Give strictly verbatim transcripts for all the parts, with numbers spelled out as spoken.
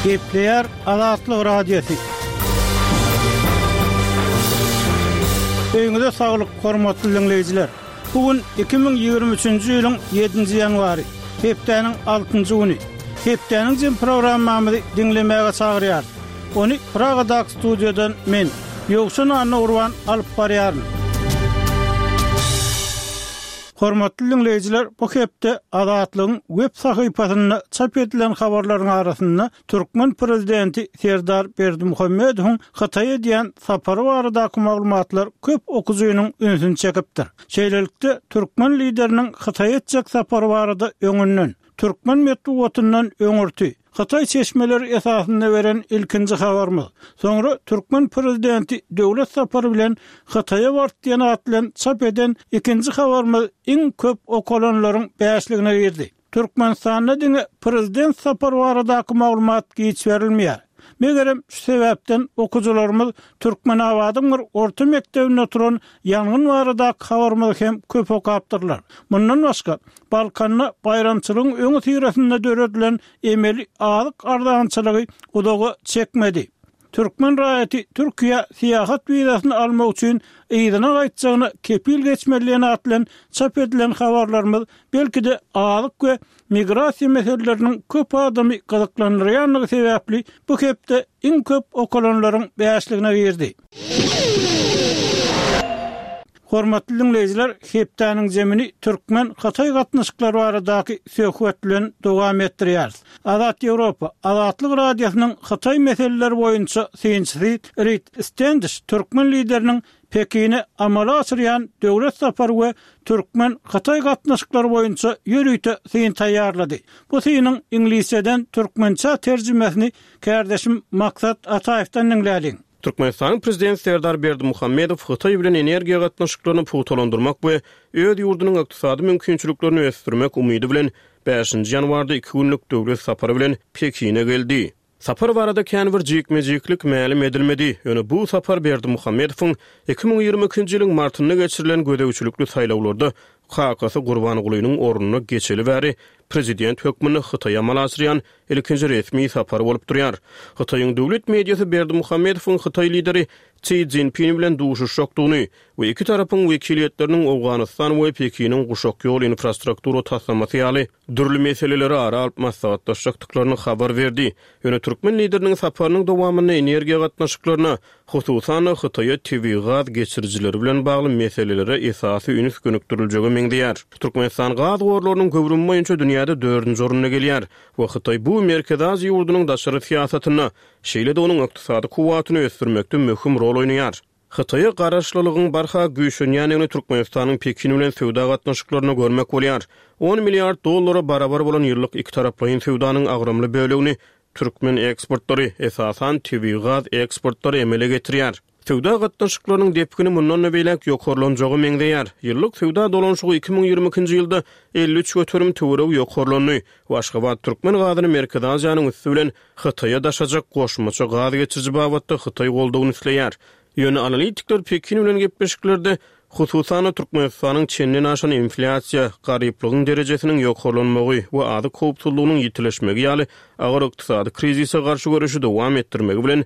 Gepleýär Azatlyk Radiosy. Öýüňize saglyk, hormatly diňleýjiler! Bu gün iki müň ýigrimi üçünji ýylyň ýedinji ýanwary, hepdäniň altynjy güni. Hepdäniň jem programmamyzy diňlemäge çagyrýarys. Ony Pragadaky studiýadan men, Ýowşan Annagurban alyp barýaryn. Hormatly diňleýjiler, bu hepde Azatlygyň web sahypasynda çap edilen habarlaryň arasynda türkmen prezidenti Serdar Berdimuhamedowyň Hytaýa edýän sapary baradaky maglumatlar köp okyjynyň ünsüni çekipdir. Şeýlelikde, türkmen lideriniň Hytaýa etjek sapary barada öňünden, türkmen metbugatyndan öňürti, Hytaý çeşmeleri esasynda beren ilkinji habarymyz, soňra türkmen prezidenti döwlet sapary bilen Hytaýa bardy diýen at bilen çap eden ikinji habarymyz iň köp okalanlaryň bäşligine girdi. Türkmenistanda diňe prezident sapary baradaky maglumat giç berilmeýär. Megerem, şu sebäpden okyjylarymyz Türkmenabadyň bir orta mekdebinde turan ýangyn baradaky habarymyzy hem köp okapdyrlar. Mundan başga, Balkanda baýramçylygyň öňüsyrasynda döredilen emeli azyk arzançylygy uzaga çekmedi. Türkmen raýaty Türkiýä syýahat wizasyny almak üçin yzyna gaýtjagyna kepil geçmeli diýen at bilen çap edilen habarlarymyz belki-de azyk we migrasiýa meseleleriniň köp adamy gyzyklandyrýandygy sebäpli bu hepde iň köp okalanlaryň bäşligine girdi. Hormatly diňleýjiler, hepdäniň zemini türkmen-hytaý gatnaşyklary baradaky söhbet bilen dowam etdirýäris. Azat Ýewropa, Azatlyk Radiosynyň hytaý meseleleri boýunça synçysy Rid Stendiş türkmen lideriniň Pekine amala aşyrýan döwlet sapary we türkmen-hytaý gatnaşyklary boýunça ýörite syn taýýarlady. Bu synyň iňlisçeden türkmençä terjimesini kärdeşim Maksat Ataýewden diňläliň. Türkmenistanyň Prezidenti Serdar Berdimuhamedow Hytaý bilen energiýa gatnaşyklaryny pugtalandyrmak we öz ýurdunyň ykdysady mümkinçiliklerini ösdürmek umydy bilen bäşinji ýanwarda iki günlük döwlet sapary bilen Pekine geldi. Sapar barada kän bir jikme-jiklik mälim edilmedi, ýöne bu sapar Berdimuhamedowyň iki müň ýigrimi ikinji ýylyň martynda geçirilen gözegçilikli saýlawlarda kakasy Gurbangulynyň ornuna geçeli bäri prezident hökmünde Hytaýa amala aşyrýan ilkinji resmi sapary bolup durýar. Hytaýyň döwlet mediasy Berdimuhamedowyň hytaý lideri Si Szinpin bilen duşuşjakdygyny we iki tarapyň wekiliýetleriniň Owganystan we Pekiniň guşak ýol infrastruktura taslamasy ýaly dürli meseleleri ara alyp maslahatlaşjakdyklaryny habar berdi. Ýöne türkmen lideriniň saparynyň dowamynda energiýa gatnaşyklaryna, hususan-da Hytaýa tebigy gaz geçirijileri bilen bagly meselelere esasy üns gönükdiriljege meňzeýär. Türkmenistan gaz gorlarynyň göwrümi boýunça dünýäde dördünji orunda gelýär we Hytaý bu Merkezi Aziýa ýurdunyň daşary syýasatynda, şeýle-de onuň ykdysady kuwwatyny ösdürmekde möhüm rol oýnaýar. Hytaýa garaşlylygyň barha güýçlenýändigini Türkmenistanyň Pekin bilen söwda gatnaşyklarynda görmek bolýar. On milliard dollara barabar bolan ýyllyk ikitaraplaýyn söwdanyň agramly bölegini türkmen eksportlary, esasan, tebigy gaz eksportlary emele getirýär. Söwda gatnaşyklarynyň depgini mundan-da beýläk ýokarlanjaga meňzeýär. Ýyllyk söwda dolanyşygy iki müň ýigrimi ikinji ýylda elli üç göterim töweregi ýokarlandy we Aşgabat türkmen gazyny Merkezi Aziýanyň üsti bilen Hytaýa daşajak goşmaça gaz geçiriji babatda Hytaý goldawyny isleýär. Ýöne analitikler Pekin bilen gepleşiklerde, hususan-da, Türkmenistanyň çenden aşan inflýasiýa, garyplygyň derejesiniň ýokarlanmagy we azyk howpsuzlygynyň ýitileşmegi ýaly agyr ykdysady krizise garşy göreşi dowam etdirmegi bilen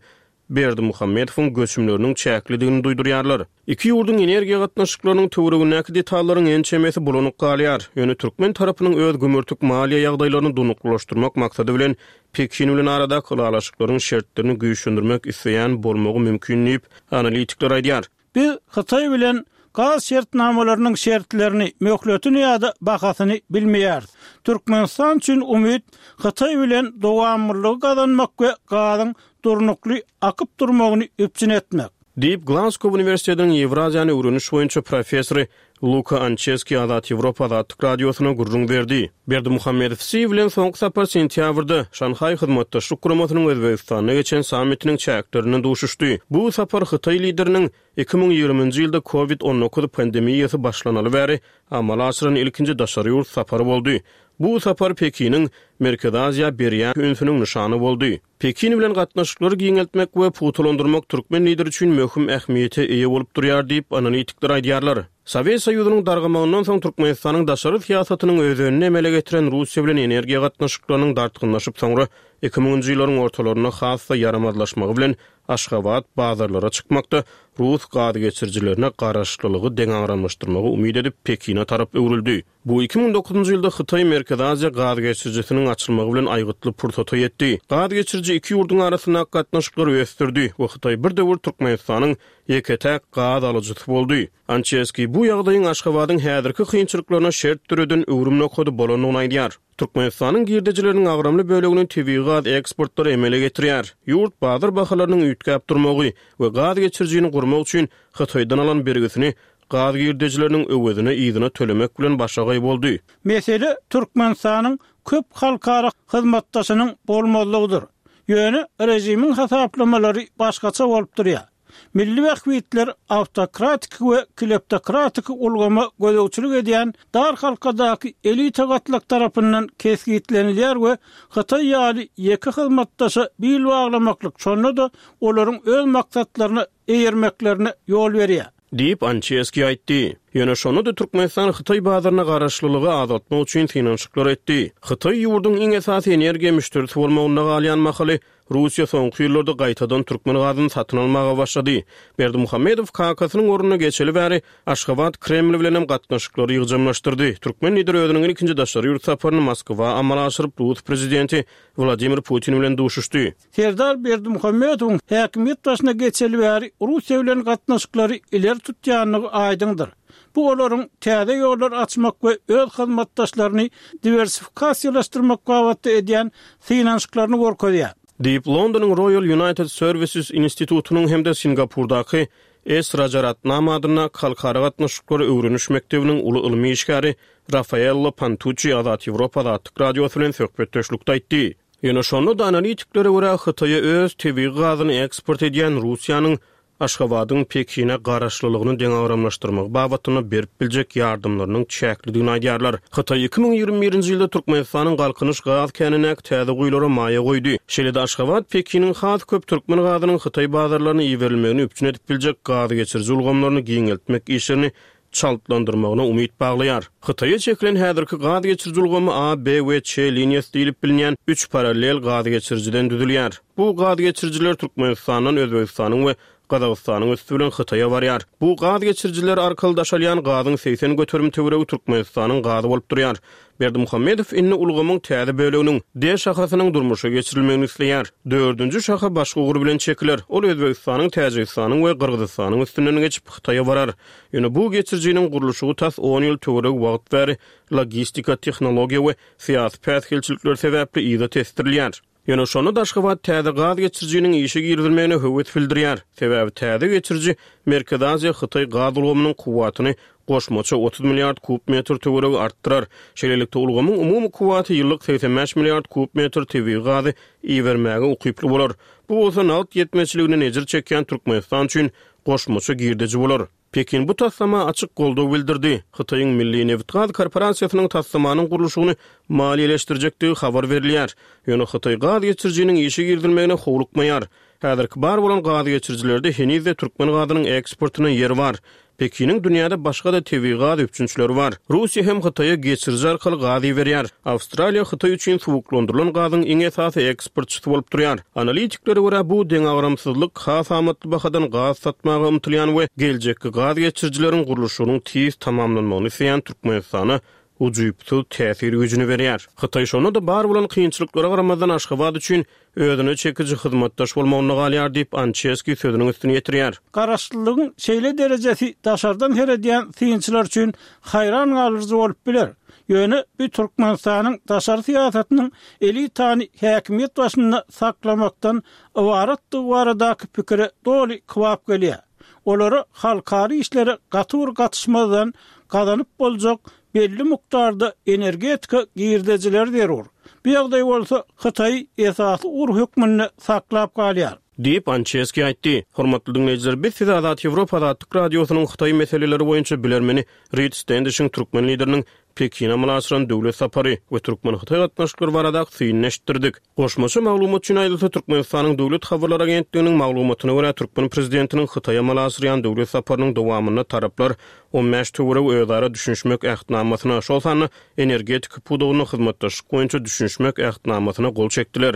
Berdimuhamedowyň göçümleriniň çäklidigini duýdurýarlar. Iki ýurduň energiýa gatnaşyklarynyň töweregindäki detallaryň ençemesi bulanyk galýar. Ýöne türkmen tarapynyň öz gümürtik maliýe ýagdaýlaryny durnuklylaşdyrmak maksady bilen Pekin bilen aradaky ylalaşyklaryň şertlerini güýçlendirmek isleýän bolmagy mümkin diýip, analitikler aýdýar. Biz Hytaý bilen gaz şertnamalarynyň şertlerini, möhletini ýa-da bahasyny bilmeýäris. Türkmenistan üçin umyt Hytaý bilen dowamlylygy gazanmak we gazyň durnukly akyp durmagyny üpjün etmek. Diýip, Glazgow uniwersitetiniň Ýewraziýany öwreniş boýunça professory Luka Ançeski Azat Ýewropa Azatlyk Radiosyna gürrüň berdi. Berdimuhamedow Si bilen soňky sapar sentýabrda, Şanhaý Hyzmatdaşlyk Guramasynyň Özbegistanda geçen sammitiniň çäklerinde duşuşdy. Bu sapar hytaý lideriniň iki müň ýigriminji ýylda Covid on dokuz pandemiýasy başlanaly bäri amala aşyran ilkinji daşary ýurt sapary boldy. Bu sapar Pekiniň Merkezi Aziýa berýän ünsüniň nyşany boldy. Pekin bilen gatnaşyklary giňeltmek we pugtalandyrmak türkmen lideri üçin möhüm ähmiýete eýe bolup durýar diýip, analitikler aýdýarlar. Sowet Soýuzynyň dargamagyndan soň Türkmenistanyň daşary syýasatynyň özenini emele getiren Russiýa bilen energiýa gatnaşyklarynyň dartgynlaşyp soňra iki müňünji ýyllaryň ortalarynda has-da ýaramazlaşmagy bilen Aşgabat bazarlara çykmakda rus gaz geçirijilerine garaşlylygy deňagramlaşdyrmagy umyt edip Pekine tarap öwrüldi. Bu iki müň dokuzynjy ýylda Hytaý-Merkezi Aziýa gaz geçirijisiniň açylmagy bilen aýgytly pursata ýetdi. Gaz geçiriji iki ýurduň arasyndaky gatnaşyklary ösdürdi we Hytaý bir döwür Türkmenistanyň ýeke-täk gaz alyjysy boldy. Ançeski bu ýagdaýyň Aşgabadyň häzirki kynçylyklaryna şert döreden öwrüm nokady bolandygyny aýdýar. Türkmenistanyň girdejileriniň agramly bölegini tebigy gaz eksportlary emele getirýär. Ýurt bazar bahalarynyň üýtgäp durmagy we gaz geçirijini gurmak üçin Hytaýdan alan bergisini gaz girdejileriniň öwezine yzyna tölemek bilen başagaý boldy. Mesele Türkmenistanyň köp halkara hyzmatdaşynyň bolmazlygydyr. Ýöne režimiň hasaplamalary başgaça bolup durýar. Milli bähbitler awtokratik we kleptokratik ulgama gözegçilik edýän dar halkadaky elita gatlak tarapyndan kesgitlenilýär we Hytaý ýaly ýeke hyzmatdaşa bil baglamaklyk şonda-da olaryň öz maksatlaryna eýermeklerine ýol berýär. Diýip, Ançeski aýtdy. Ýöne şonda-da Türkmenistan Hytaý bazaryna garaşlylygy azaltmak üçin synanyşyklar etdi. Hytaý ýurduň iň esasy energiýa müşderisi bolmagynda galýan mahaly, Russiýa soňky ýyllarda gaýtadan türkmen gazyny satyn almaga başlady. Berdimuhamedow kakasynyň ornuna geçeli bäri Aşgabat Kreml bilenem gatnaşyklary ýygjamlaşdyrdy. Türkmen lideri özüniň ilkinji daşary ýurt saparyny Moskwa amala aşyryp, rus prezidenti Wladimir Putin bilen duşuşdy. Serdar Berdimuhamedowyň häkimiýet başyna geçeli bäri Russiýa bilen gatnaşyklary ileri tutýandygy aýdyňdyr. Bu olaryň täze ýollar açmak we öz hyzmatdaşlaryny diwersifikasiýalaşdyrmak babatda edýän synanyşyklaryny görkezýär. Diýip, Londonyň Royal United Services institutynyň hem-de Singapurdaky S. Rajaratnam adyndaky Halkara gatnaşyklary öwreniş mekdebiniň uly ylmy işgäri Rafaello Pantuççi Azat Ýewropa Azatlyk Radiosy bilen söhbetdeşlikde aýtdy. Ýöne şonda-da analitiklere görä, Hytaýa öz tebigy gazyny eksport edýän Russiýanyň Aşgabadyň Pekine garaşlylygyny deňagramlaşdyrmagy babatynda berip biljek ýardamlarynyň çäklidigini aýdýarlar. Hytaý iki müň ýigrimi birinji ýylda Türkmenistanyň Galkynyş gaz känindäki täze guýulara maýa goýdy. Şeýle-de Aşgabat Pekiniň has köp türkmen gazynyň Hytaý bazarlaryna iberilmegini üpjün edip biljek gaz geçiriji ulgamlaryny giňeltmek işlerini çaltlandyrmagyna umyt baglaýar. Hytaýa çekilen häzirki gaz geçiriji ulgamy A, B we Ç liniýasy diýlip bilinýän üç parallel gaz geçirijiden düzülýär. Bu gaz geçirijiler Türkmenistandan Özbegistanyň we Gazagystanyň üsti bilen Hytaýa barýar. Bu gaz geçirijiler arkaly daşalýan gazyň segsen göterim töweregi Türkmenistanyň gazy bolup durýar. Berdimuhamedow indi ulgamyň täze böleginiň, D şahasynyň durmuşa geçirilmegini isleýär. Dördünji şaha başga ugur bilen çekiler. Ol Özbegistanyň, Täjigistanyň we Gyrgyzystanyň üstünden geçip, Hytaýa barar. Ýöne bu geçirijiniň gurluşygy tas on ýyl töweregi wagt bäri logistika, tehnologiýa we syýasy päsgelçilikler sebäpli yza tesdirilýär. Ýöne şonda-da Aşgabat täze gaz geçirijiniň işe girizilmegine höwes bildirýär. Sebäbi täze geçiriji Merkezi Aziýa-Hytaý gaz ulgamynyň kuwwatyny goşmaça otuz milliard kub metr töweregi artdyrar. Şeýlelikde, ulgamyň umumy kuwwaty ýyllyk segsen bäş milliard kub metr tebigy gazy ibermäge ukyply bolar. Bu bolsa nagt ýetmezçiliginden ejir çekýän Türkmenistan üçin goşmaça girdeji bolar. Pekin bu taslama açyk goldaw bildirdi. Hytaýyň Milli nebitgaz korporasiýasynyň taslamanyň gurluşygyny maliýeleşdirjekdigi habar berilýär. Ýöne Hytaý gaz geçirijiniň işe girizilmegine howlukmaýar. Häzirki bar bolan gaz geçirijilerde heniz-de türkmen gazynyň eksportyna ýer bar. Pekiniň dünýäde başga-da tebigy gaz üpjünçileri bar. Russiýa hem Hytaýa geçiriji arkaly gaz iberýär. Awstraliýa Hytaý üçin suwuklandyrylan gazyň iň esasy eksportçysy bolup durýar. Analitiklere görä, bu deňagramsyzlyk has amatly bahadan gaz satmaga ymtylýan we geljekki gaz geçirijileriň gurluşygynyň tiz tamamlanmagyny isleýän Türkmenistana ujypsyz täsir güýjüni berýär. Hytaý şonda-da bar bolan kynçylyklara garamazdan Aşgabat üçin özüne çekiji hyzmatdaş bolmagynda galýar diýip, Ançeski sözüniň üstüni ýetirýär. Garaşlylygyň şeýle derejesi daşardan seredýän synçylar üçin haýran galyjy bolup biler. Ýöne bu Türkmenistanyň daşary syýasatynyň elitany häkimiýet başynda saklamakdan ybaratdygy baradaky pikire doly kybap gelýär. Olara halkara işlere gaty bir gatyşmazdan gazanyp boljak belli mukdarda energetika girdejileri zerur. Bu ýagdaý bolsa Hytaýy esasy ugur hökmünde saklap galýar. Diýip, Ançeski aýtdy. Hormatly diňleýjiler, biz size Azat Ýewropa Azatlyk Radiosynyň Hytaý meseleleri boýunça bilermeni Rid Stendişiň türkmen lideriniň Pekine amala aşyran döwlet sapary we türkmen-hytaý gatnaşyklary baradaky synyny eşitdirdik. Goşmaça maglumat üçin aýdylsa, Türkmenistanyň Döwlet habarlar agentliginiň maglumatyna görä, türkmen prezidentiniň Hytaýa amala aşyrýan döwlet saparynyň dowamynda taraplar on bäş töweregi özara düşünişmek Ähtnamasyna, şol sanda energetika pudagynda hyzmatdaşlyk boýunça düşünişmek Ähtnamasyna gol çekdiler.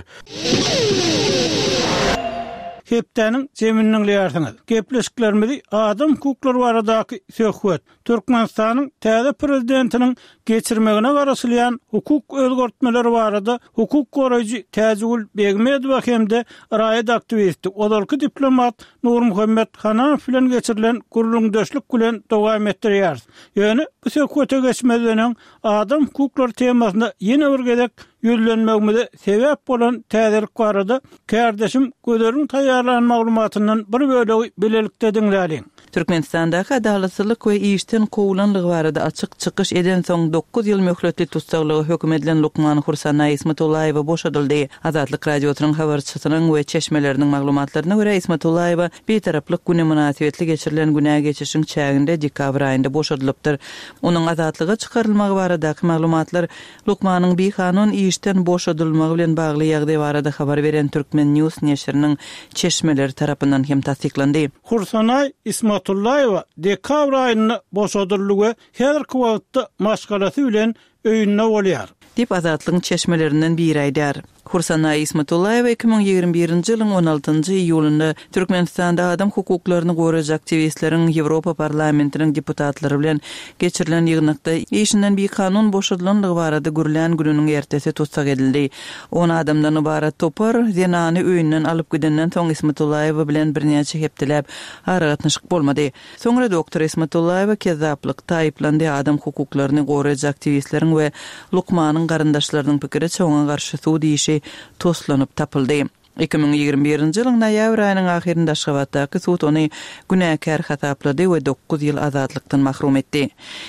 Hepdäniň jemini diňleýärsiňiz. Gepleşiklerimizi adam hukuklary baradaky söhbet, Türkmenistanyň täze prezidentiniň geçirmegine garaşylýan hukuk özgertmeleri barada hukuk goraýjy Täjigül Begmedowa hem-de raýat aktiwisti, ozalky diplomat Nurmuhammet Hananow bilen geçirilen gürrüňdeşlik bilen dowam etdirýäris. Ýöne bu söhbete geçmezden öň adam hukuklary temasyna ýene bir gezek ýüzlenmegimize sebäp bolan täzelik barada kärdeşim Gözeliň taýýarlan maglumatyndan bir bölegi bilelikde diňläliň. Türkmenistandaky adalatsyzlyk we işden kowlanlygy barada açyk çykyş edensoň dokuz ýyl möhletli tussaglyga höküm edilen lukman Hursanaý Ismatullaýewa boşadyldy. Azatlyk Radiosynyň habarçysynyň we çeşmeleriniň maglumatlaryna görä, Ismatullaýewa Bitaraplyk güni mynasybetli geçirilen günä geçişiň çäginde dekabr aýynda boşadylypdyr. Onuň azatlyga çykarylmagy baradaky maglumatlar lukmanyň bikanun işden boşadylmagy bilen bagly ýagdaý barada habar beren Turkmen News neşiriniň çeşmeleri tarapyndan hem tassyklandy. Hursanaý Ismatullaýewa dekabr aýynda boşadyldy we häzirki wagtda maşgalasy bilen öýünde bolýar. Diýip, Azatlygyň çeşmelerinden biri aýdýar. Hursanaý Ismatullaýewa iki müň ýigrimi birinji ýylyň on altynjy iýulynda Türkmenistanda adam hukuklaryny goraýjy aktiwistleriň Ýewropa Parlamentiniň deputatlary bilen geçirilen ýygnakda işinden bikanun boşadylandygy barada gürlän gününiň ertesi tussag edildi. On adamdan ybarat topar zenany öýünden alyp gidenden soň Ismatullaýewa bilen birnäçe hepdeläp aragatnaşyk bolmady. Soňra doktor Ismatullaýewa kezzaplykda aýyplandy, adam hukuklaryny goraýjy aktiwistleriň we lukmanyň garyndaşlarynyň pikiriçe, oňa garşy sud işi toslanyp tapyldy. Iki müň ýigrimi birinji ýylyň noýabr aýynyň ahyrynda Aşgabatdaky sud ony günäkär hasaplady we dokuz ýyl azatlykdan mahrum etdi.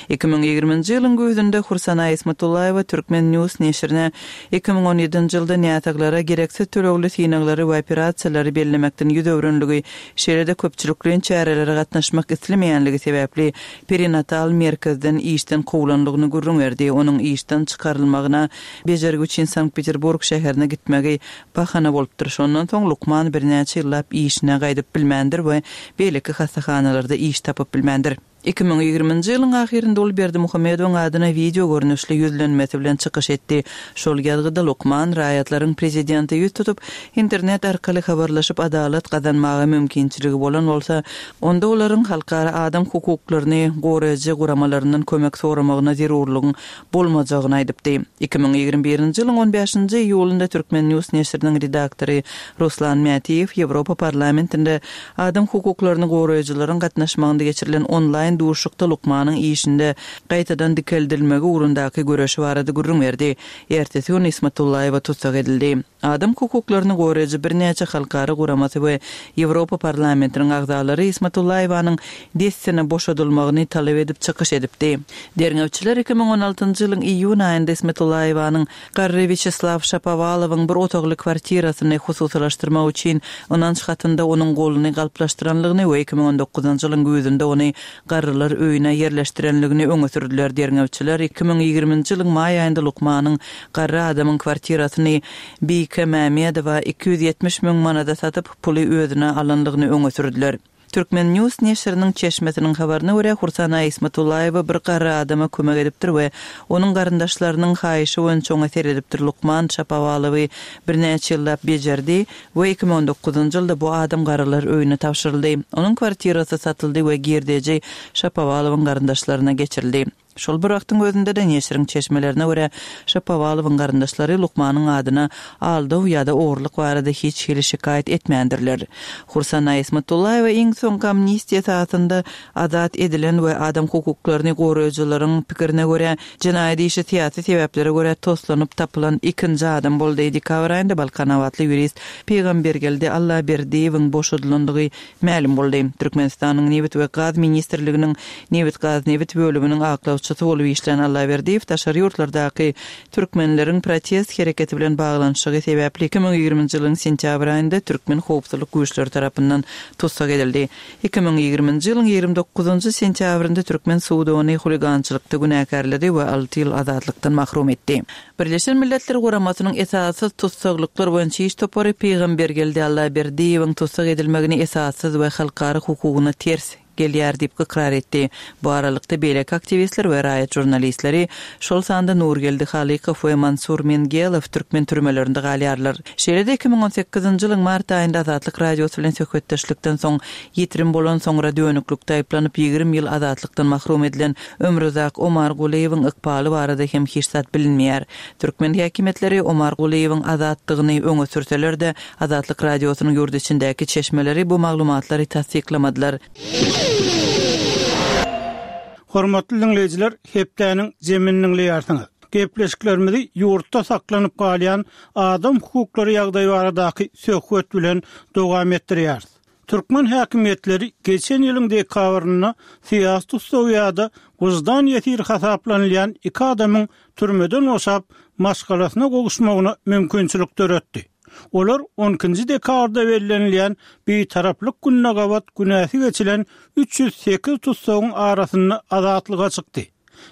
Iki müň ýigriminji ýylyň güýzünde Hursanaý Ismatullaýewa Turkmen News neşirine iki müň on ýedinji ýylda näsaglara gereksiz tölegli synaglary we operasiýalary bellemekden ýüz öwrenligi, şeýle-de köpçülikleýin çärelere gatnaşmak islemeýänligi sebäpli perinatal merkezden işden kowlanlygyny gürrüň berdi. Onuň işden çykarylmagyna bejergi üçin Sankt-Peterburg şäherine gitmegi bahana bolupdyr. Şondan soň lukman birnäçe ýyllap işine gaýdyp bilmändir we beýleki hassahanalarda iş tapyp bilmändir. Iki müň ýigriminji ýylyň ahyrynda ol Berdimuhamedowyň adyna wideo görnüşli ýüzlenmesi bilen çykyş etdi. Şol ýazgyda lukman raýatlaryň prezidente ýüz tutup, internet arkaly habarlaşyp adalat gazanmaga mümkinçiligi bolan bolsa, onda olaryň halkara adam hukuklaryny goraýjy guramalaryndan kömek soramagyna zerurlygyň bolmajagyny aýdypdy. Iki müň ýigrimi birinji ýylyň on bäşinji iýulynda Turkmen News neşiriniň redaktory Ruslan Mätiýew Ýewropa Parlamentinde adam hukuklaryny goraýjylaryň gatnaşmagynda geçirilen onlaýn duşuşykda lukmanyň işinde gaýtadan dikeldilmegi ugrundaky göreşi barada gürrüň berdi. Ertesi gün Ismatullaýewa tussag edildi. Adam hukuklaryny goraýjy birnäçe halkara guramasy we Ýewropa Parlamentiniň agzalary Ismatullaýewanyň dessine boşadylmagyny talap edip çykyş edipdi. Derňewçiler iki müň on altynjy ýylyň iýun aýynda Ismatullaýewanyň garry Wýaçeslaw Şapowalowyň bir otagly kwartirasyny hususylaşdyrmak üçin ynanç hatynda onuň goluny galplaşdyranlygyny we iki müň on dokuzynjy ýylyň güýzünde ony garrylar öýüne ýerleşdirenligini öňe sürdüler. Derňewçiler iki müň ýigriminji ýylyň maý aýynda lukmanyň garry adamyň kwartirasyny Bike Mämmedowa iki ýüz ýetmiş müň manada satyp, puly özüne alanlygyny öňe sürdüler. Turkmen News neşiriniň çeşmesiniň habaryna görä, Hursanaý Ismatullaýewa bir garry adama kömek edipdir we onuň garyndaşlarynyň haýyşy boýunça oňa seredipdir. Lukman Şapowalowy birnäçe ýyllap bejerdi we iki müň on dokuzynjy ýylda bu adam garrylar öýüne tabşyryldy. Onuň kwartirasy satyldy we girdeji Şapowalowyň garyndaşlaryna geçirildi. Şol bir wagtyň özünde-de neşiriň çeşmelerine görä, Şapowalowyň garyndaşlary lukmanyň adyna aldaw ýa-da ogurlyk barada hiç hili şikaýat etmändirler. Hursanaý Ismatullaýewa iň soňky amnistiýa esasynda azat edilen we adam hukuklaryny goraýjylaryň pikirine görä, jenaýat işi syýasy sebäplere görä toslanyp tapylan ikinji adam boldy. Dekabr aýynda balkanabatly ýurist Pygambergeldi Allaberdiýewiň boşadylandygy mälim boldy. Türkmenistanyň Nebit we gaz ministrliginiň Nebitgaznebit bölüminiň aklawçysy ýolbaşçysy bolup işlän Allaberdiýew daşary ýurtlardaky türkmenleriň protest hereketi bilen baglanyşygy sebäpli iki müň ýigriminji ýylyň sentýabr aýynda türkmen howpsuzlyk güýçleri tarapyndan tussag edildi. Iki müň ýigriminji ýylyň ýigrimi dokuzynjy sentýabrynda türkmen sudy ony huligançylykda günäkärledi we alty ýyl azatlykdan mahrum etdi. Birleşen Milletler Guramasynyň esassyz tussaglyklar boýunça iş topary Pygambergeldi Allaberdiýewiň tussag edilmegini esassyz we halkara hukugyna ters gelýär diýip ykrar etdi. Bu aralykda beýleki aktiwistler we raýat žurnalistleri, şol sanda Nurgeldi Halykow we Mansur Mengelow türkmen türmelerinde galýarlar. Şeýle-de iki müň on sekizinji ýylyň mart aýynda Azatlyk Radiosy bilen söhbetdeşlikden soň ýitirim bolan soňra dönüklikde aýyplanyp ýigrimi ýyl azatlykdan mahrum edilen Ömruzak Omargulyýewiň ykbaly barada hem hiç zat bilinmeýär. Türkmen häkimiýetleri Omargulyýewiň azatdygyny öňe sürseler-de, Azatlyk Radiosynyň ýurt içindäki çeşmeleri bu maglumatlary tassyklamadylar. Hormatly diňleýjiler, hepdäniň jemini diňleýärsiňiz. Gepleşiklerimizi ýurtda saklanyp galýan adam hukuklary ýagdaýy baradaky söhbet bilen dowam etdirýäris. Türkmen häkimiýetleri geçen ýylyň dekabrynda syýasy tussag ýa-da wyždan ýesiri hasaplanylýan iki adamyň türmeden boşap, maşgalasyna gowuşmagyna mümkinçilik döretdi. Olar on ikinji dekabrda bellenilýän Bitaraplyk gününe gabat günäsi geçilen üç ýüz sekiz tussagyň arasynda azatlyga çykdy.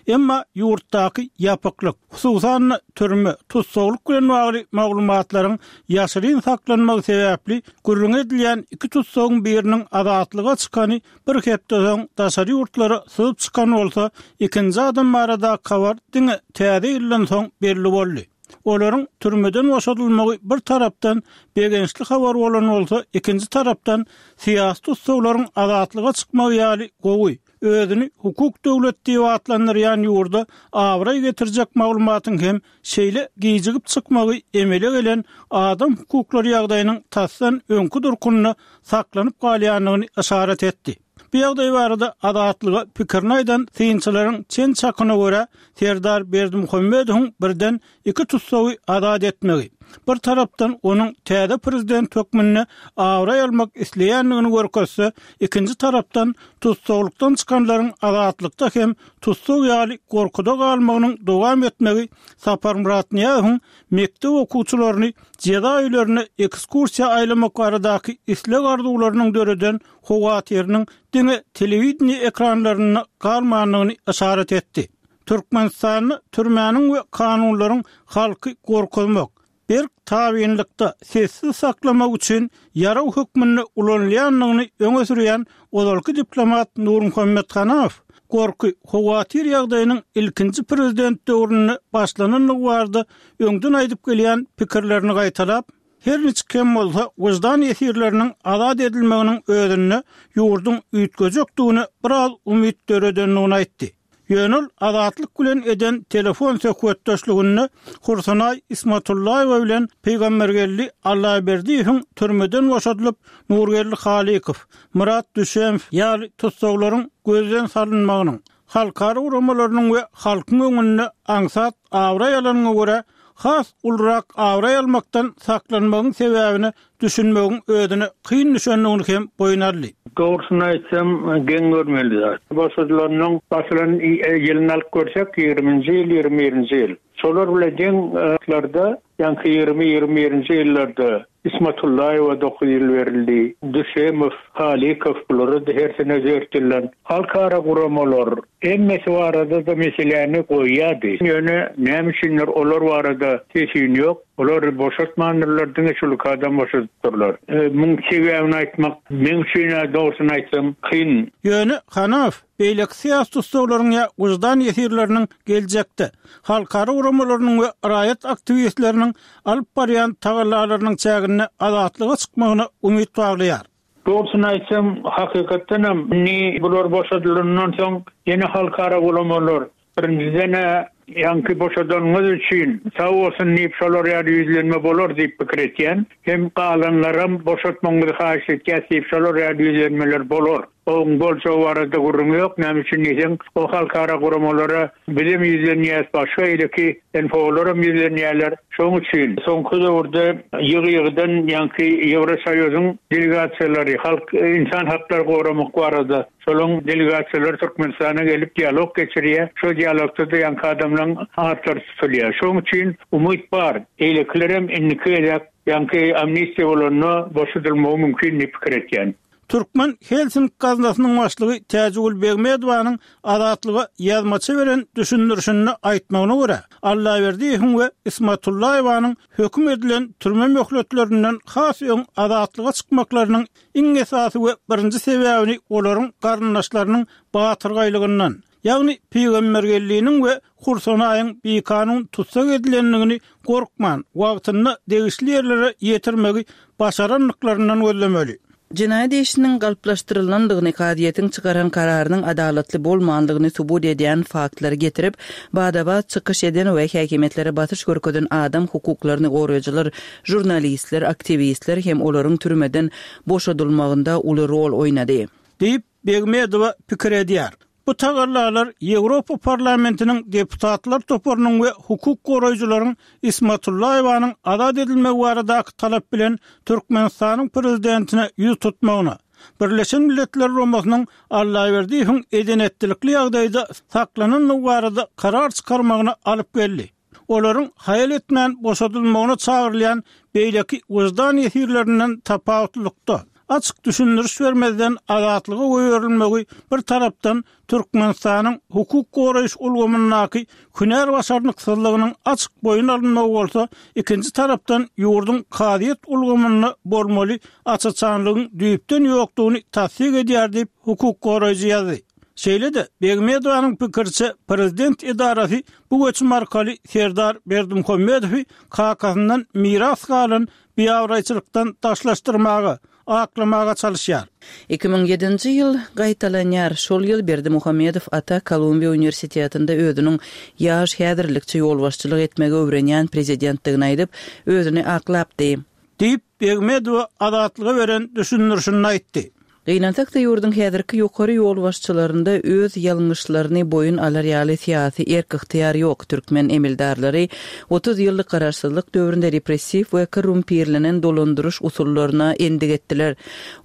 Emma ýurtdaky ýapyklyk, hususan-da türme, tussaglyk bilen bagly maglumatlaryň ýaşyryn saklanmagy sebäpli gürrüň edilýän iki tussagyň biriniň azatlyga çykany bir hepde soň daşary ýurtlara syzyp çykan bolsa, ikinji adam baradaky habar diňe täze ýyldan soň belli boldy. Olaryň türmeden boşadylmagy bir tarapdan begençli habar bolan bolsa, ikinji tarapdan syýasy tussaglaryň azatlyga çykmagy ýaly gowy, özüni hukuk döwlet diýip atlandyrýan ýurda abraý getirjek maglumatyň hem şeýle gijigip çykmagy emele gelen adam hukuklary ýagdaýynyň tasdan öňki durkunda saklanyp galýandygyny yşarat etdi. Bu ýagdaý barada Azatlyga pikirini aýdan synçylaryň çen-çakyna görä, Serdar Berdimuhamedowyň birden iki tussagy azat etmegi, bir tarapdan onuň täze prezident hökmünde abraý almak isleýändigini görkezse, ikinji tarapdan tussaglykdan çykanlaryň azatlykda hem tussag ýaly gorkuda galmagynyň dowam etmegi Saparmyrat Nyýazowyň mekdep okuwçylaryny jeza öýlerine ekskursiýa aýlamak baradaky isleg-arzuwlarynyň döreden howatyrynyň diňe telewideniýe ekranlarynda galmandygyny yşarat etdi. Türkmenistanda türmäniň we kanunlaryň halky gorkuzmak, berk tabynlykda sessiz saklamak üçin ýaraw hökmünde ulanylýandygyny öňe sürýän ozalky diplomat Nurmuhammet Hanaw gorky howatyr ýagdaýynyň ilkinji prezident döwründe başlanandygy barada öňden aýdyp gelýän pikirlerini gaýtalap, her niçik hem bolsa wyždan ýesirleriniň azat edilmeginiň özünde ýurduň üýtgejekdigine biraz umyt döredendigini aýtdy. Ýöne ol Azatlyk bilen eden telefon söhbetdeşliginde Hursanaý Ismatullaýewa bilen Pygambergeldi Allaberdiýewiň türmeden boşadylyp, Nurgeldi Halykow, Myrat Düşemow ýaly tussaglaryň gözden salynmagynyň, halkara guramalarynyň we halkyň öňünde aňsat abraý alanyna görä has ulurak abraý almakdan saklanmagyň sebäbine düşünmegiň özüne kyn düşendigini hem boýun aldy. Dogrusyny aýtsam, geň görmeli zat. Boşadylandan başlan ýylyny alyp görsek, ýigriminji ýyl, ýigrimi birinji ýyl. Şolar bilen deň ýyllarda, ýaňky ýigrimi, ýigrimi birinji ýyllarda Ismatullaýewa dokuz ýyl berildi. Düşemow, Halykow bulara da hersine dört ýyldan. Halkara guramalar hemmesi barada-da meseläni goýýardy. Ýöne näme üçindir olar barada sesin ýok. Olary boşatmandyrlar, diňe şul iki adam boşadypdyrlar. Muň sebäbini aýtmak meň üçin-ä dogrusyny aýtsam kyn. Ýöne Hanaw beýleki syýasy tussaglaryň ýa wyždan ýesirleriniň geljekde halkara guramalarynyň we raýat aktiwistleriniň alyp barýan tagallalarynyň çäginde azatlyga çykmagyna umyt baglaýar. Dogrusyny aýtsam, hakykatdan hem indi bular boşadylandan soň ýene halkara guramalar, birinjiden-ä Ýaňky boşadanyňyz üçin sag bolsun diýip şolar ýaly ýüzlenme bolar diýip pikir etýän. Hem galanlaram boşatmagyňyzy haýyş etýäs diýip şolar ýaly ýüzlenmeler bolar. Oň boljagy barada gürrüň ýok. Näme üçin diýseň, o halkara guramalara bizem ýüzlenýäs, başga eýleki N P O'laram ýüzlenýärler. Şonuň üçin soňky döwürde ýygy-ýygydan ýaňky Ýewrosoýuzyň delegasiýalary halk insan haklary goramak barada şolaryň delegasiýalary Türkmenistana gelip dialog geçirýär. Şo dialogda-da ýaňky adamlaryň atlary tutulýar. Şonuň üçin umyt bar. Eýlekilerem indiki gezek ýaňky amnistiýa bolanda boşadylmagy mümkin diýip pikir etýän. Türkmen Helsinki gaznasynyň başlygy Täjigül Begmedowanyň Azatlyga ýazmaça beren düşündirişinde aýtmagyna görä, Allaberdiýewiň we Ismatullaýewanyň höküm edilen türme möhletlerinden has öň azatlyga çykmaklarynyň iň esasy we birinji sebäbini olaryň garyndaşlarynyň batyrgaýlygyndan, ýagny Pygambergeldiniň we Hursanaýyň bikanun tutsak edilendigini gorkman, wagtynda degişli ýerlere ýetirmegi başarandyklaryndan gözlemeli. Jenaýat işiniň galplaşdyrylandygyny, kazyýetiň çykaran kararynyň adalatly bolmandygyny subut edýän faktlary getirip, bada-bat çykyş eden we häkimiýetlere basyş görkezen adam hukuklaryny goraýjylar, žurnalistler, aktiwistler hem olaryň türmeden boşadylmagynda uly rol oýnady. Diýip Begmedowa pikir edýär. Bu tagallalar Ýewropa Parlamentiniň deputatlar toparynyň we hukuk goraýjylaryň Ismatullaýewanyň azat edilmegi baradaky talap bilen Türkmenistanyň prezidentine ýüz tutmagyna, Birleşen Milletler Guramasynyň Allaberdiýewiň edenetlilikli ýagdaýda saklanandygy barada karar çykarmagyna alyp geldi. Olaryň haýal etmän boşadylmagyna çagyrylýan beýleki wyždan ýesirlerinden tapawutlylykda açyk düşündiriş bermezden azatlyga goýberilmegi bir tarapdan Türkmenistanyň hukuk goraýyş ulgamyndaky hünär başarnyksyzlygynyň açyk boýun alynmagy bolsa, ikinji tarapdan ýurduň kazyýet ulgamynda bolmaly açaçanlygyň düýpden ýokdugyny tassyk edýär diýip hukuk goraýjy ýazdy. Şeýle-de Begmedowanyň pikiriçe prezident edarasy bu göçüm arkaly Serdar Berdimuhamedowy kakasyndan miras galan biabraýçylykdan daşlaşdyrmaga, aklamaga çalışýar. Iki müň ýedinji ýyl gaýtalanýar. Şol ýyl Berdimuhamedow ata Kolumbiýa uniwersitetinde özüniň ýaş häzirlikçe ýolbaşçylyk etmegi öwrenýän prezidentdigini aýdyp, özüni aklapdy. Diýip Begmedowa azatlyga beren düşündirişini aýtdy. Gynansak-da ýurduň häzirki ýokary ýolbaşçylarynda öz ýalňyşlaryny boýun alar ýaly syýasy erk ygtyýar ýok. Türkmen emeldarlary otuz ýyllyk garaşsyzlyk döwründe repressiw we korrumpirlenen dolandyryş usullaryna endik etdiler.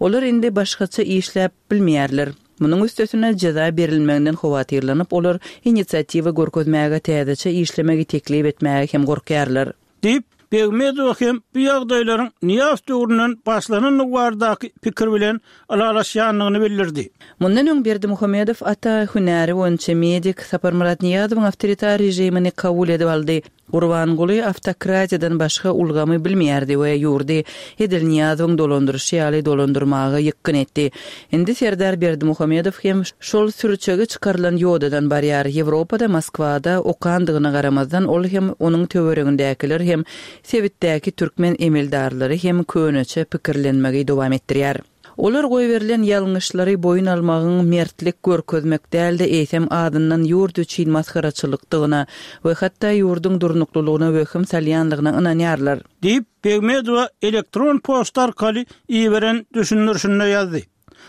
Olar indi başgaça işläp bilmeýärler. Munuň üstesine jeza berilmeginden howatyrlanyp, olar inisiatiwa görkezmäge, täzeçe işlemegi teklip etmäge hem gorkýarlar. Diýip Begmedowa hem bu ýagdaýlaryň Nyýazow döwründen başlanandygy baradaky pikir bilen ylalaşýandygyny bildirdi. Mundan öň Berdimuhamedow ata hünäri boýunça medik Saparmyrat Nyýazowyň awtoritar režimini kabul edip aldy. Gurbanguly awtokratiýadan başga ulgamy bilmeýärdi we ýurdy edil Nyýazowyň dolandyryşy ýaly dolandyrmaga ýykgyn etdi. Indi Serdar Berdimuhamedow hem şol sürçegi çykarylan ýodadan barýar. Ýewropada, Moskwada okandygyna garamazdan ol hem onuň töweregindäkiler hem sebitdäki türkmen emeldarlary hem köneçe pikirlenmegi dowam etdirýär. Olar goýberilen ýalňyşlary boýun almagyň mertlik görkezmek däl-de eýsem adyndan ýurt üçin masgaraçylykdygyna we hatda ýurduň durnuklylygyna wehim salýanlygyna ynanýarlar. Diýip Begmedowa elektron poçta arkaly iberen düşündirişinde ýazdy.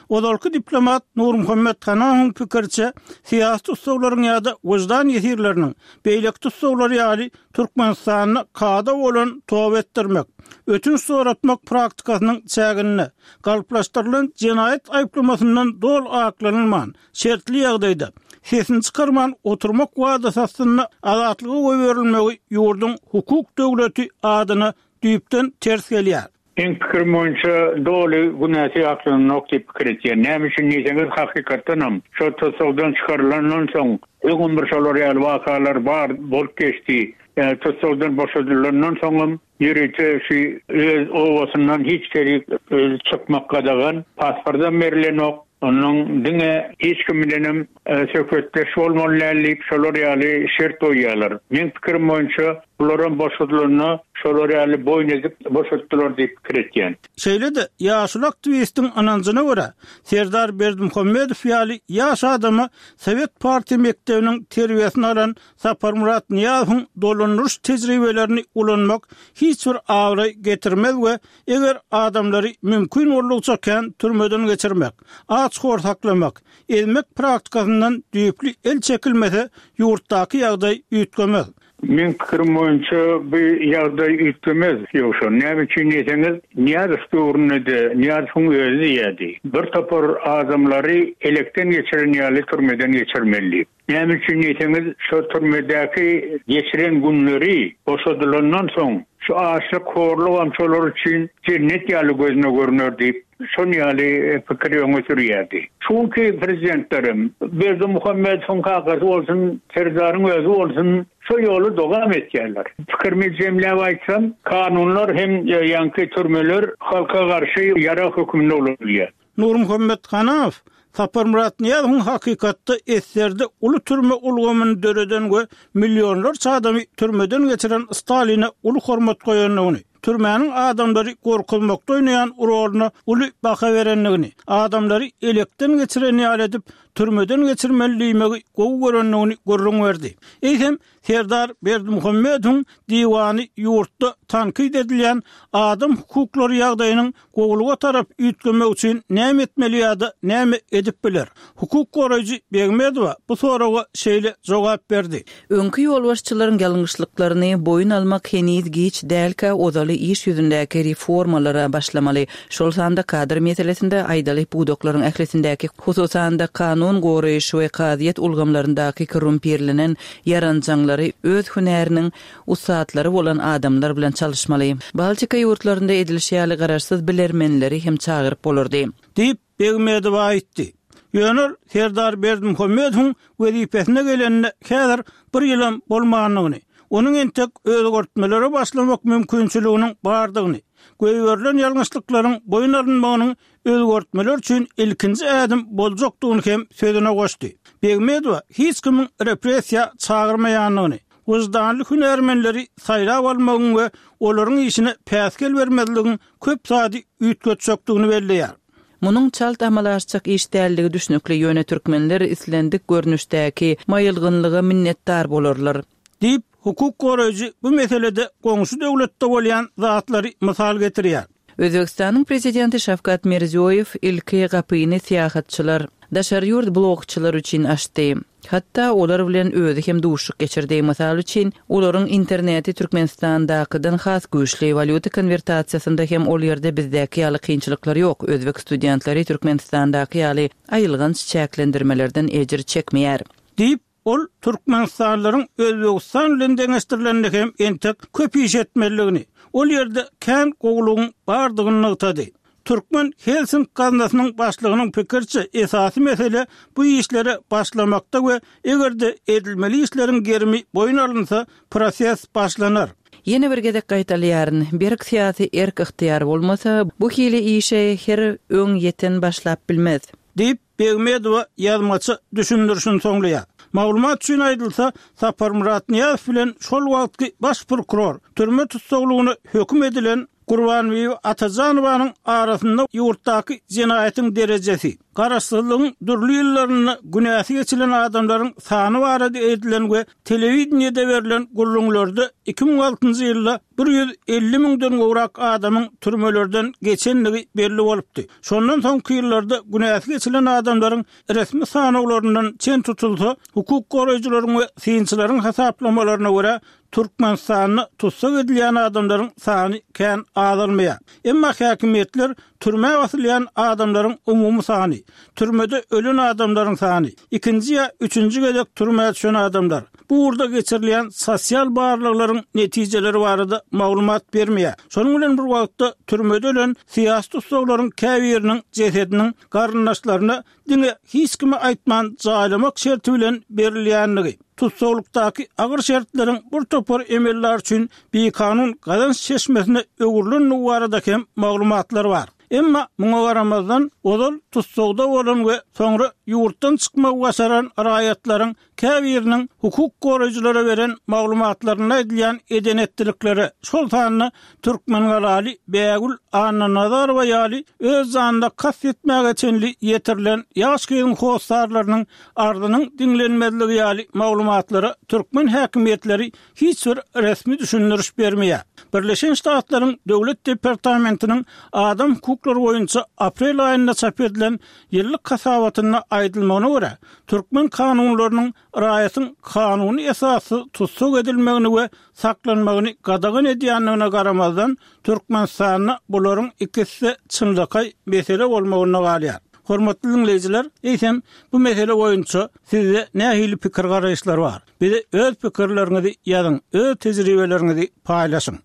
Ozalky diplomat Nurmuhammet Hanawyň pikiriçe, syýasy tussaglaryň ýa-da wyždan ýesirleriniň beýleki tussaglar ýaly Türkmenistanda kada bolan toba etdirmek, ötünç soratmak praktikasynyň çäginde galplaşdyrylan jenaýat aýyplamasyndan dol aklanylman, şertli ýagdaýda sesini çykarman oturmak wadasy astynda azatlyga goýberilmegi ýurduň hukuk döwleti adyna düýpden ters gelýär. Meň pikirim boýunça doly günäsi aklananok diýip pikir etýän. Näme üçin diýseňiz, hakykatdanam şo tussagdan çykarylandan soň öňem bir şolar ýaly wakalar bar bolup geçdi. Ýa tussagdan boşadylandan soňam ýörite şu öz obasyndan hiç kerik öz çykmak gadagan, pasportdan berilenok. Onuň diňe hiç kim bilenem, e, söhbetdeş bolmaly däl diýip şolar ýaly şert goýýarlar. Meň pikirim boýunça Bularam boşadylanda şolar ýaly boýun edip boşatdylar diýip pikir etýän. Şeýle-de ýaşuly aktiwistiň ynanjyna görä, Serdar Berdimuhamedow ýaly ýaş adama sowet partiýa mekdebiniň terbiýesini alan Saparmyrat Nyýazowyň dolandyryş tejribelerini ulanmak hiç bir abraý getirmez we eger adamlary mümkin boldugyça kän türmeden geçirmek, aç-hor saklamak, ezmek praktikasyndan düýpli el çekilmese, ýurtdaky ýagdaý üýtgemez. Meň pikirim boýunça bu ýagdaý üýtgemez. Ýogsa näme üçin diýseňiz, Nyýazow döwründe-de Nyýazowyň özi diýýärdi. Bir topar adamlary elekden geçiren ýaly türmeden geçirmeli diýip. Näme üçin diýseňiz, şo türmedäki geçiren günleri boşadylandan soň şu açlyk, horlugam şolar üçin jennet ýaly gözüne görner diýip, şon ýaly pikiri öňe sürýärdi. Çünki prezidentlerim Berdimuhamedowyň kakasy bolsun, Serdaryň özi bolsun, şo ýoly dowam etýärler. Pikirimi jemläp aýtsam, kanunlar hem ýaňky türmeler halka garşy ýarag hökmünde ulanylýar. Nurmuhammet Hanaw Saparmyrat Nyýazowyň hakykatda eserde uly türme ulgamyny döreden we millionlarça adamy türmeden geçiren Staline uly hormat goýandygyny, türmäniň adamlary gorkuzmakda oýnaýan roluna uly baha berendigini, adamlary elekden geçiren ýaly edip türmeden geçirmeli diýmegi gowy görendigini gürrüň berdi. Eýsem Serdar Berdimuhamedowyň diwany ýurtda tankyt edilýän adam hukuklary ýagdaýynyň gowulyga tarap üýtgemek üçin näme etmeli ýa-da näme edip biler? Hukuk goraýjy Begmedowa bu soraga şeýle jogap berdi. Öňki ýolbaşçylaryň ýalňyşlyklaryny boýun almak heniz giç dälkä ozaly iş ýüzündäki reformalara başlamaly. Şol sanda kadr meselesinde aýdaly pudaklaryň ählisindäki, hususan-da kanun goraýyş we kazyýet ulgamlaryndaky korrumpirlenen ýaranjaňlary öz hünäriniň ussatlary bolan adamlar bilen çalyşmaly. Baltika ýurtlarynda edilişi ýaly garaşsyz bilermenleri hem çagyryp bolardy. Diýip Begmedowa aýtdy. Ýöne Serdar Berdimuhamedowyň wezipesine gelenine häzir bir ýylam bolmandygyny, onuň entek özgertmelere başlamak mümkinçiliginiň bardygyny, goýberilen ýalňyşlyklaryň boýun alynmagynyň özgertmeler üçin ilkinji ädim boljakdygyny hem sözüne goşdy. Begmedowa hiç kimiň repressiýa çagyrmaýandygyny, wyždanly hünärmenleri saýlap almagyň we olaryň işine päsgel bermezligiň köp zady üýtgetjekdigini belleýär. Munuň çalt amala aşjak iş däldigi düşnükli, ýöne türkmenler islendik görnüşdäki maýylgynlyga minnetdar bolarlar. Diýip, hukuk goraýjy bu meselede goňşy döwletde bolýan zatlary mysal getirýär. Özbegistanyň prezidenti Şawkat Mirziýoýew ilki gapyny syýahatçylar, daşary ýurt blogçylar üçin açdy. Hatda olar bilen özi hem duşuşyk geçirdi. Mysal üçin, olaryň interneti Türkmenistandakydan has güýçli, walýuta konwertasiýasynda hem ol ýerde bizdäki ýaly kynçylyklar ýok. Özbek studentleri Türkmenistandaky ýaly aýylganç çäklendirmelerden ejir çekmeýär. Diýip, ol Türkmenistanlylaryň Özbegistan bilen deňeşdirileninde hem entek köp iş etmelidigini, ol ýerde kän gowulygyň bardygyny nygtady. Türkmen Helsink gaznasynyň başlygynyň pikiriçe esasy mesele bu işlere başlamakda we eger-de edilmeli işleriň gerimi boýun alynsa, proses başlanar. Ýene bir gezek gaýtalaýaryn, berk syýasy erk-ygtyýar bolmasa, bu hili işe her öň ýeten başlap bilmez. Diýip, Begmedowa ýazmaça düşündirişini soňlaýar. Maglumat üçin aýdylsa, Saparmyrat Nyýazow bilen şol wagtky baş prokuror türme tussaglygyna höküm edilen Gurbanbibi Atajanowanyň arasynda ýurtdaky jenaýatyň derejesi, garaşsyzlygyň dürli ýyllarynda günäsi geçilen adamlaryň sany barada edilen we telewideniýede berlen gürrüňlerde iki müň altynjy ýylda bir ýüz elli müňden gowrak adamyň türmelerden geçendigi belli bolupdy. Şondan soňky ýyllarda günäsi geçilen adamlaryň resmi sanawlaryndan çen tutulsa, hukuk goraýjylaryň we synçylaryň hasaplamalaryna görä, Türkmenistanda tussag edilýän adamlaryň sany kän azalmaýar. Emma häkimiýetler türmä basylýan adamlaryň umumy sany, türmede ölen adamlaryň sany, ikinji ýa üçünji gezek türmä düşen adamlar, bu ugurda geçirilýän sosial barlaglaryň netijeleri barada maglumat bermeýär. Şonuň bilen bir wagtda türmede ölen syýasy tussaglaryň käbiriniň jesediniň garyndaşlaryna diňe hiç kime aýtman jaýlamak şerti bilen berilýändigi, tussaglykdaky agyr şertleriň bir topar emeldar üçin bikanun gazanç çeşmesine öwrülendigi barada hem maglumatlar bar. Emma muňa garamazdan, ozal tussagda bolan we soňra ýurtdan çykmagy başaran raýatlaryň käbiriniň hukuk goraýjylara beren maglumatlarynda aýdylýan eden-etdiliklere, şol sanda türkmengalaly Bägül Annanazarowa ýaly öz janyna kast etmäge çenli ýetirilen ýaş gyzyň hossarlarynyň arzynyň diňlenmezligi ýaly maglumatlara türkmen häkimiýetleri hiç bir resmi düşündiriş bermeýär. Birleşen Ştatlaryň Döwlet departamentiniň adam hukuklary boýunça aprel aýynda çap edilen ýyllyk hasabatynda aýdylmagyna görä, türkmen kanunlarynyň raýatyň kanuny esassyz tussag edilmegini we saklanmagyny gadagan edýändigine garamazdan, Türkmenistanda bularyň ikisi-de çynlakaý mesele bolmagynda galýar. Hormatly diňleýjiler, eýsem, bu mesele boýunça sizde nähili pikir-garaýyşlar bar? Bize öz pikirleriňizi ýazyň, öz tejribeleriňizi paýlaşyň.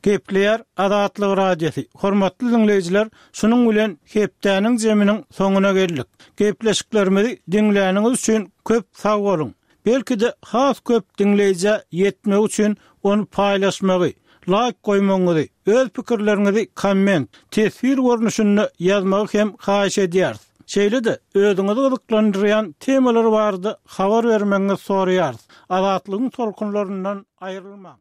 Gepleýär Azatlyk Radiosy. Hormatly diňleýjiler, şunuň bilen hepdäniň jeminiň soňuna geldik. Gepleşiklerimizi diňläniňiz üçin köp sag boluň. Belki-de has köp diňleýjä ýetmegi üçin ony paýlaşmagy, laýk goýmagyňyzy, öz pikirleriňizi komment, teswir görnüşinde ýazmagy hem haýyş edýäris. Şeýle-de özüňizi gyzyklandyrýan temalar barada habar bermegiňizi soraýarys. Azatlygyň tolkunlaryndan aýrylmaň!